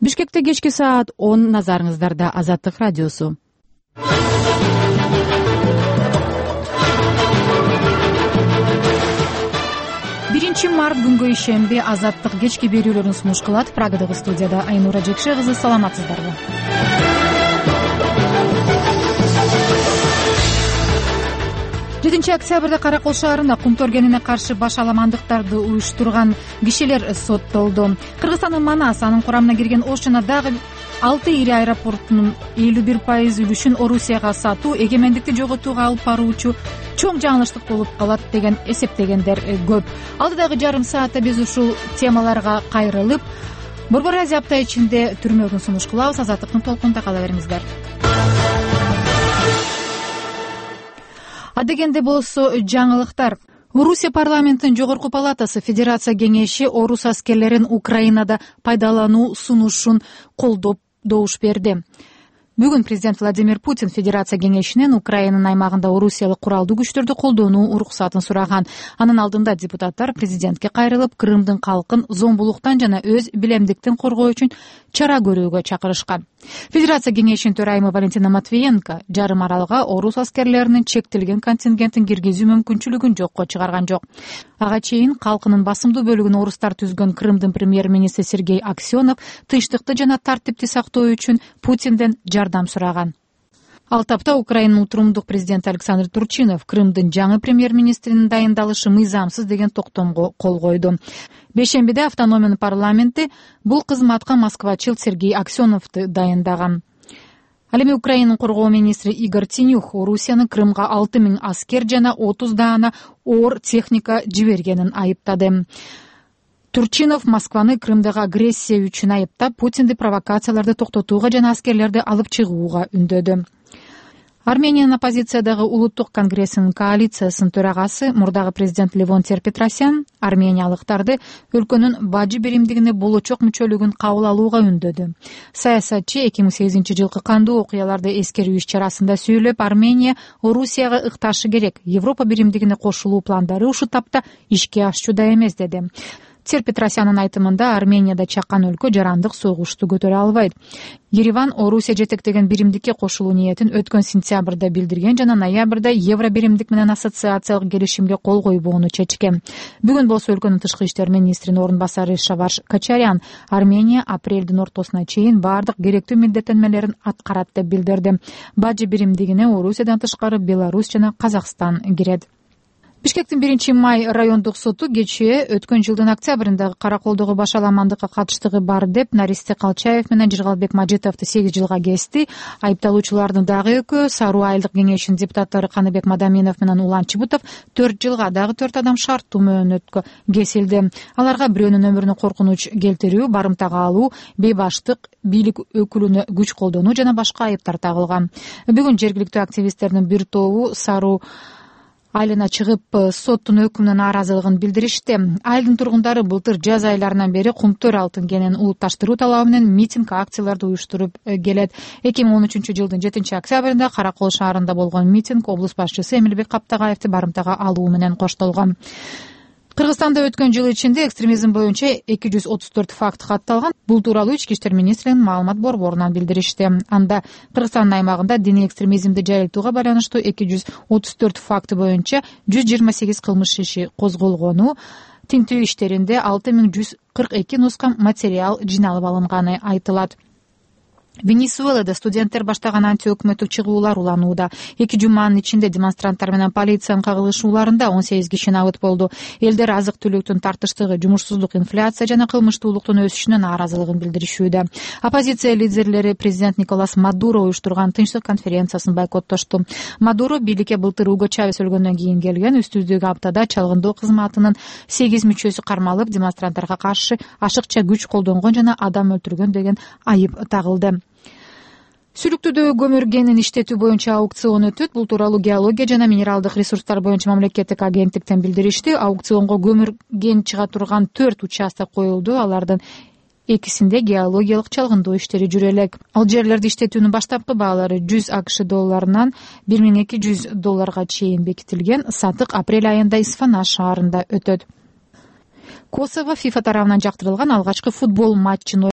Бишкекте кечки саат 10 назарыңыздарда Азаттык радиосу. 1 март күнгө ишемби Азаттык кечки берүүлөрүн сунуш кылат. Прагадагы студияда Айнура Жекше кызы, саламатсыздарбы? 7 октябрда Каракол шаарында кумтор кенине каршы баш аламандыктарды уюштурган кишилер соттолду. Кыргызстандын Манас, анын курамына кирген Ош жана дагы 6 ири аэропортунун 51% үлүшүн Орусияга сатуу эгемендикти жоготууга алып баруучу чоң жаңылыштык болуп калат деген эсептегендер көп. Алдыдагы жарым саатта биз ушул темаларга кайрылып, Борбор Азия апта ичинде түрмөдөн сунуш кылабыз. Азаттыктын толкунунда кала бериңиздер. Адегенде болсо жаңылыктар. Орусия парламентинин жогорку палатасы Федерация кеңеши орус аскерлерин Украинада пайдалануу сунушун колдоп добуш берди. Бүгүн президент Владимир Путин Федерация кеңешинен Украинанын аймагында орусиялык куралдуу күчтөрдү колдонуу уруксатын сураган. Анын алдында депутаттар президентке кайрылып, Крымдын калкын зомбулуктан жана өз билемдиктин коргоо үчүн чара көрүүгө чакырышкан. Федерация кеңешинин төрайымы Валентина Матвиенко жарым аралга орус аскерлеринин чектелген контингентин киргизүү мүмкүнчүлүгүн жокко чыгарган жок. Ага чейин калкынын басымдуу бөлүгүн орустар түзгөн Крымдын премьер-министри Сергей Аксенов тынчтыкты жана тартипти сактоо үчүн Путинден жардам сураган. Ал тапта Украинанын утурумдук президенти Александр Турчинов Крымдын жаңы премьер-министринин дайындалышы мыйзамсыз деген токтомго кол койду. Бейшембиде автономиянын парламенти бул кызматка москвачыл Сергей Аксеновду дайындаган. Ал эми Украинанын коргоо министри Игорь Тинюх Орусиянын Крымга 6000 аскер жана 30 даана оор техника жибергенин айыптады. Турчинов Москваны Крымдагы агрессия үчүн айыптап, Путинди провокацияларды токтотууга жана аскерлерди алып чыгууга үндөдү. Армениянын оппозициядагы улуттук конгрессинин коалициясынын төрагасы, мурдагы президент Левонтий Петросян армениялыктарды өлкөнүн бажы биримдигине болочок мүчөлүгүн кабыл алууга үндөдү. Саясатчы 2008 жылкы кандуу окуяларды эскерүү иш-чарасында сүйлөп, Армения Орусияга ыкташы керек, Европа биримдигине кошулуу пландары ушул тапта ишке ашчуда эмес деди. Петросянын айтымында Арменияда чакан өлкө жарандык согушту көтөрө албайт. Ереван Орусия жетектеген биримдикке кошулуу ниетин өткөн сентябрда билдирген жана ноябрда Евро биримдик менен ассоциациялык келишимге кол койбоону чечкен. Бүгүн болсо өлкөнүн тышкы иштер министринин орун басары Шаваш Качарян Армения апрелдин ортосуна чейин бардык керектүү милдеттенмелерин аткарат деп билдирди. Бажы биримдигине Орусиядан тышкары Беларусь жана Казакстан кирет. Бишкектин 1 май райондук соту кечээ өткөн жылдын октябрындагы Караколдогу баш аламандыкка катыштыгы бар деп Наристе Калчаев менен Жыргалбек Мажитовду 8 жылга кести. Айыпталуучулардын дагы экөө Саруу айылдык кеңешинин депутаттары Каныбек Мадаминов менен Улан Чыбытов 4 жылга, дагы 4 адам шарттуу мөөнөткө кесилди. Аларга бирөөнүн өмүрүнө коркунуч келтирүү, барымтага алуу, бейбаштык, бийлик өкүлүнө күч колдонуу жана башка айыптар тагылган. Бүгүн жергиликтүү активисттердин бир тобу Саруу айылына чыгып соттун өкүмүнө нааразылыгын билдиришти. Айылдын тургундары былтыр жаз айларынан бери кумтөр алтын кенин улутташтыруу талабы менен митинг, акцияларды уюштуруп келет. 2013 жылдын 7 октябрында Каракол шаарында болгон митинг облус башчысы Эмилбек Каптагаевди барымтага алуу менен коштолгон. Кыргызстанда өткөн жыл ичинде экстремизм боюнча 234 факт катталган. Бул тууралуу Ички иштер министринин маалымат борборунан билдиришти. Анда Кыргызстандын аймагында диний экстремизмди жайылтууга байланыштуу 234 факты боюнча 128 кылмыш иши козголгону, тинтүү иштеринде 6142 нуска материал жиналып алынганы айтылат. Венесуэлада студенттер баштаган антиөкмөттүк чыгуулар уланууда. 2 жуманын ичинде демонстранттар менен полициянын кагылышууларында 18 киши набыт болду. Элдер азык-түлүктүн тартыштыгы, жумушсуздук, инфляция жана кылмыштуулуктун өсүшүнө нааразылыгын билдиришүүдө. Оппозиция лидерлери президент Николас Мадуро уюштурган тынчтык конференциясын бойкоттошту. Мадуро бийликке былтыр Уго Чавес өлгөндөн кийин келген. Үстүздөгү аптада чалгындоо кызматынын 8 мүчөсү кармалып, демонстранттарга каршы ашыкча күч колдонгон жана адам өлтүргөн деген айып тагылды. Сүлүктүүдө көмүр кенин иштетүү боюнча аукцион өтөт. Бул тууралуу геология жана минералдык ресурстар боюнча мамлекеттик агенттиктен билдиришти. Аукционго көмүр кен чыга турган 4 участок коюлду. Алардын экисинде геологиялык чалгындоо иштери жүрө элек. Ал жерлерди иштетүүнүн баштапкы баалары 100 АКШ долларынан $1200 чейин бекитилген. Сатык апрель айында Исфана шаарында өтөт. Косово ФИФА тарабынан жактырылган алгачкы футбол матчын